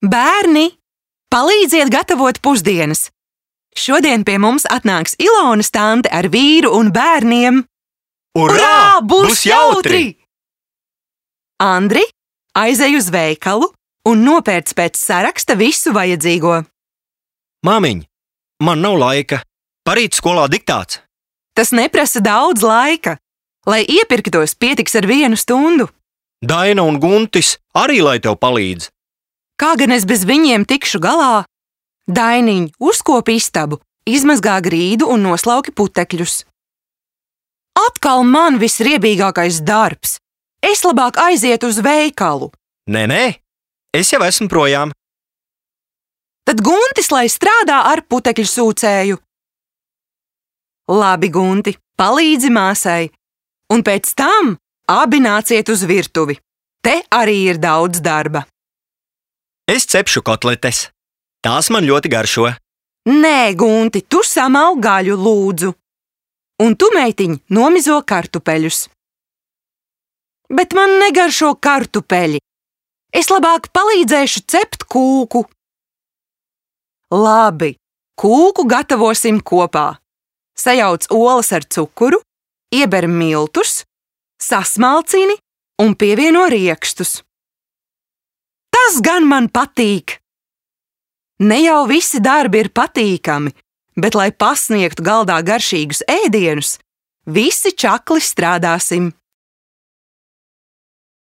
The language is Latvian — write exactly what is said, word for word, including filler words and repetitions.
Bērni, palīdziet gatavot pusdienas! Šodien pie mums atnāks Ilonas tante ar vīru un bērniem. Urā! Būs jautri! Andri, aizej uz veikalu un nopērc pēc saraksta visu vajadzīgo. Māmiņ, man nav laika. Parīt skolā diktāts. Tas neprasa daudz laika. Lai iepirktos, pietiks ar vienu stundu. Daina un Guntis arī lai tev palīdz. Kā gan es bez viņiem tikšu galā? Dainiņ, uzkopi istabu, izmazgā grīdu un noslauki putekļus. Atkal man visriebīgākais darbs. Es labāk aizietu uz veikalu. Nē, nē, es jau esmu projām. Tad Guntis lai strādā ar putekļu sūcēju. Labi, Gunti, palīdzi māsai. Un pēc tam abi nāciet uz virtuvi. Te arī ir daudz darba. Es cepšu kotletes. Tās man ļoti garšo. Nē, Gunti, tu samal gaļu, lūdzu. Un tu, meitiņ, nomizo kartupeļus. Bet man negaršo kartupeļi. Es labāk palīdzēšu cept kūku. Labi, kūku gatavosim kopā. Sajauc olas ar cukuru, ieber miltus, sasmalcini un pievieno riekštus. Tas gan man patīk! Ne jau visi darbi ir patīkami, bet, lai pasniegtu galdā garšīgus ēdienus, visi čakli strādāsim.